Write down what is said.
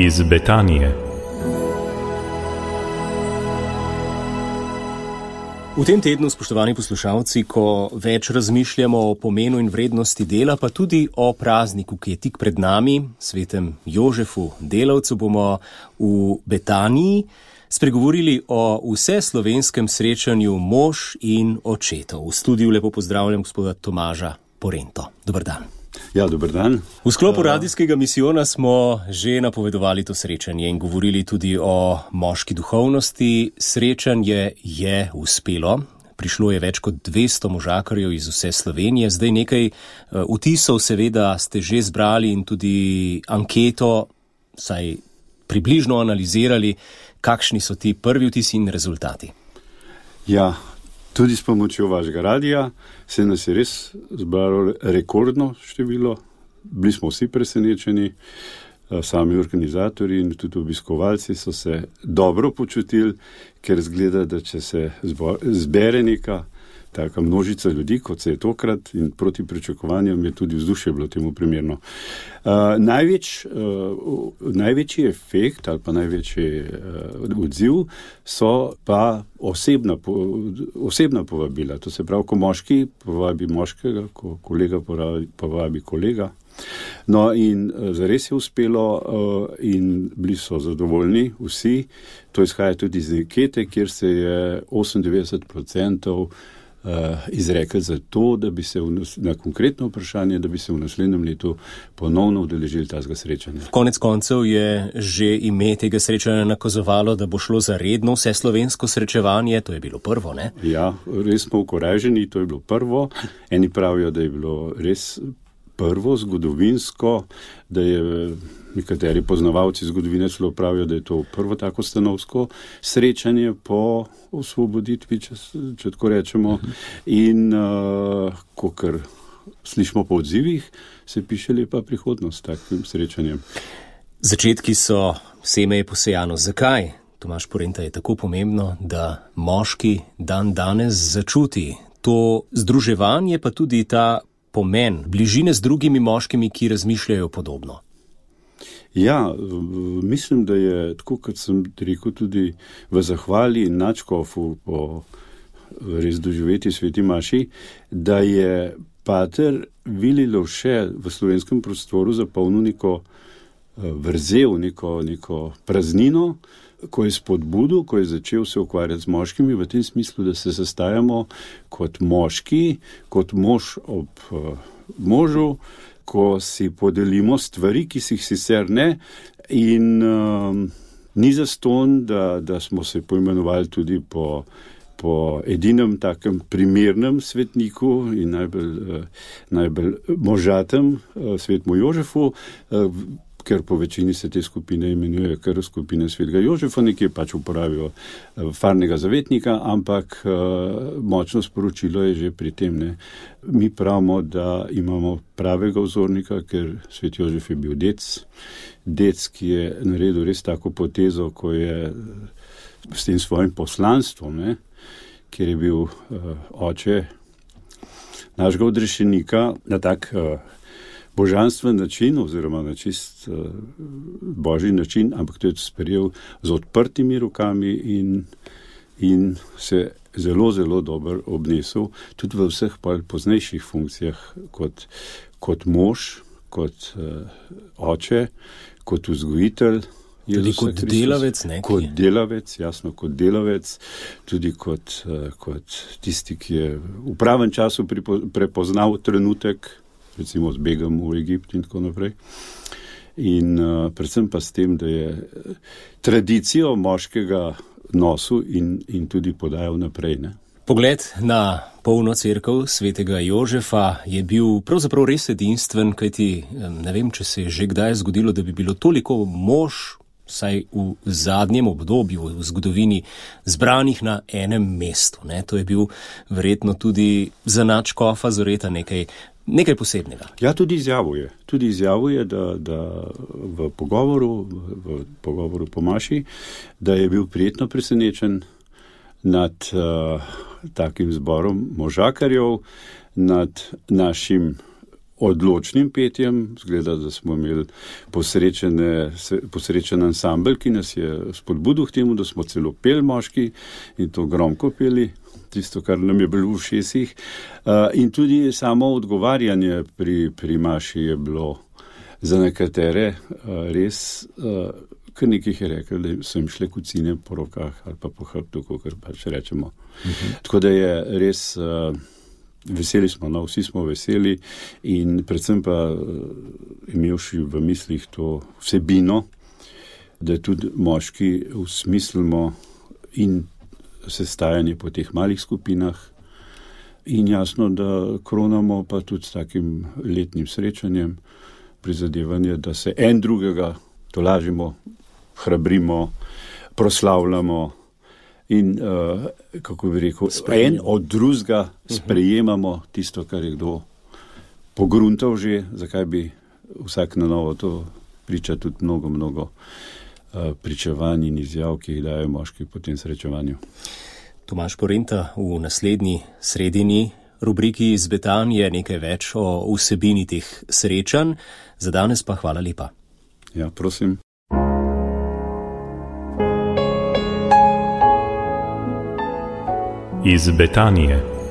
iz Betanije. V tem tednu, spoštovani poslušalci, ko več razmišljamo o pomenu in vrednosti dela, pa tudi o prazniku, ki je tik pred nami, svetem Jožefu Delavcu, bomo v Betaniji spregovorili o vseslovenskem srečanju mož in očetov. V studiu lepo pozdravljam gospoda Tomaža Porento. Dober dan. Ja, dober dan. V sklopu radijskega misijona smo že napovedovali to srečanje in govorili tudi o moški duhovnosti. Srečanje je uspelo. Prišlo je več kot 200 možakarjev iz vse Slovenije. Zdaj nekaj vtisov seveda ste že zbrali in tudi anketo, saj približno analizirali, kakšni so ti prvi vtisi in rezultati. Ja, tudi s pomočjo vašega radija se nas je res zbralo rekordno število. Bili smo vsi presenečeni, sami organizatorji in tudi obiskovalci so se dobro počutili, ker zgleda, da če se zbere neka taka množica ljudi, kot se je tokrat, in proti pričakovanjem je tudi vzdušje bilo temu primerno. Največji efekt ali pa največji odziv so pa osebna povabila. To se pravi, ko moški povabi moškega, ko kolega povabi kolega. No in zares je uspelo in bili so zadovoljni vsi. To izhaja tudi iz ankete, kjer se je 98% izrekel za to, da bi se na konkretno vprašanje, da bi se v naslednjem letu ponovno udeležili tega srečanja. Konec koncev je že ime tega srečanja nakazovalo, da bo šlo za redno vseslovensko srečevanje. To je bilo prvo, ne? Ja, res smo ukoraženi, to je bilo prvo. Eni pravijo, da je bilo res prvo zgodovinsko, da je nekateri poznavalci zgodovine celo pravijo, da je to prvo tako stanovsko srečanje po osvoboditvi, če tako rečemo. In kakor slišimo po odzivih, se piše lepa prihodnost takim srečanjem. Začetki so, seme je posejano. Zakaj, Tomaž Porenta, je tako pomembno, da moški dan danes začuti to združevanje, pa tudi ta pomen bližine z drugimi moškimi, ki razmišljajo podobno? Ja, mislim, da je, tako kot sem rekel tudi v zahvali nadškofu po res doživeti sveti maši, da je pater Vili Lovše v slovenskem prostoru zapolnil neko vrzel, neko praznino, ko je spodbudil, ko je začel se ukvarjati z moškimi v tem smislu, da se sestajamo kot moški, kot mož ob možu, ko si podelimo stvari, ki si jih sicer ne, in ni zastonj, da smo se poimenovali tudi po edinem takem primernem svetniku in najbolj možatem svetmu Jožefu, ker po večini se te skupine imenujejo kar skupine svetega Jožefa, nekje pač uporabijo farnega zavetnika, ampak močno sporočilo je že pri tem, ne. Mi pravimo, da imamo pravega vzornika, ker svet Jožef je bil dec, ki je naredil res tako potezo, ko je s tem svojim poslanstvom, ne, ker je bil oče našega odrešenika na tak božanstven način oziroma na čist božji način, ampak to je sprejel z odprtimi rokami in se zelo, zelo dobro obnesel tudi v vseh poznejših funkcijah kot mož, kot oče, kot vzgojitelj. Tudi kot delavec, ne? Kot delavec, jasno, kot delavec, tudi kot tisti, ki je v pravem času prepoznal trenutek, recimo z begom v Egipt in tako naprej. In predvsem pa s tem, da je tradicijo moškega nosil in tudi podajal naprej, ne. Pogled na polno cerkev svetega Jožefa je bil pravzaprav res edinstven, kajti ne vem, če se je že kdaj zgodilo, da bi bilo toliko mož, vsaj v zadnjem obdobju v zgodovini, zbranih na enem mestu, ne. To je bil verjetno tudi za nadškofa Zoreta nekaj posebnega. Ja, tudi izjavuje, da v pogovoru po maši, da je bil prijetno presenečen nad takim zborom možakarjev, nad našim odločnim petjem. Zgleda, da smo imeli posrečen ansambl, ki nas je spodbudil k temu, da smo celo peli moški in to gromko peli, tisto, kar nam je bilo v ušesih. In tudi samo odgovarjanje pri maši je bilo za nekatere res, kar nekih je rekel, da so jim šle kucine po rokah ali pa po hrbtu, kakor pač rečemo. Tako da je res, veseli smo, no, vsi smo veseli in predvsem pa imevši v mislih to vsebino, da tudi moški usmislimo in sestajanje po teh malih skupinah in jasno, da kronamo pa tudi s takim letnim srečanjem, prizadevanje, da se en drugega tolažimo, hrabrimo, proslavljamo in, kako bi rekel, en od drugega sprejemamo tisto, kar je kdo pogruntal že, zakaj bi vsak na novo to priča tudi mnogo pričevanj in izjav, ki jih dajo moški po tem srečevanju. Tomaž Porenta v naslednji sredini rubriki iz Betanije nekaj več o vsebini teh srečanj. Za danes pa hvala lepa. Ja, prosim. Iz Betanije.